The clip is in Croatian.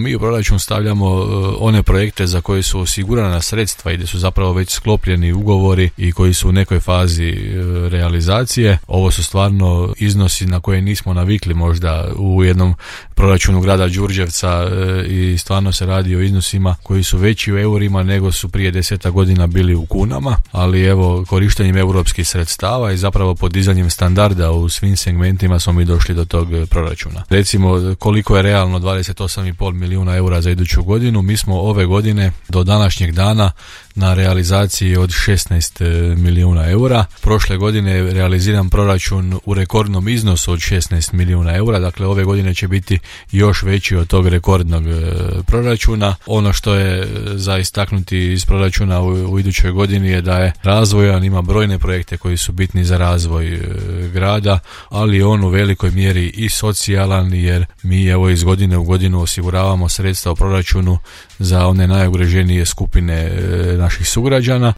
mi u proračun stavljamo one projekte za koje su osigurana sredstva i gdje su zapravo već sklopljeni ugovori i koji su u nekoj fazi realizacije. Ovo su stvarno iznosi na koje nismo navikli možda u jednom proračunu grada Đurđevca i stvarno se radi o iznosima koji su veći u eurima nego su prije 10 godina bili u kunama, ali evo korištenjem europskih sredstava i zapravo podizanjem standarda u svim segmentima smo mi došli do tog proračuna. Recimo koliko je realno 28,5 milijuna eura za iduću godinu, mi smo ove godine do današnjeg dana na realizaciji od 16 milijuna eura. Prošle godine je realiziran proračun u rekordnom iznosu od 16 milijuna eura, dakle ove godine će biti još veći od tog rekordnog proračuna. Ono što je za istaknuti iz proračuna u idućoj godini je da je razvojan, ima brojne projekte koji su bitni za razvoj grada, ali on u velikoj mjeri i socijalan, jer mi evo iz godine u godinu osiguravamo sredstva u proračunu za one najugroženije skupine naših sugrađana.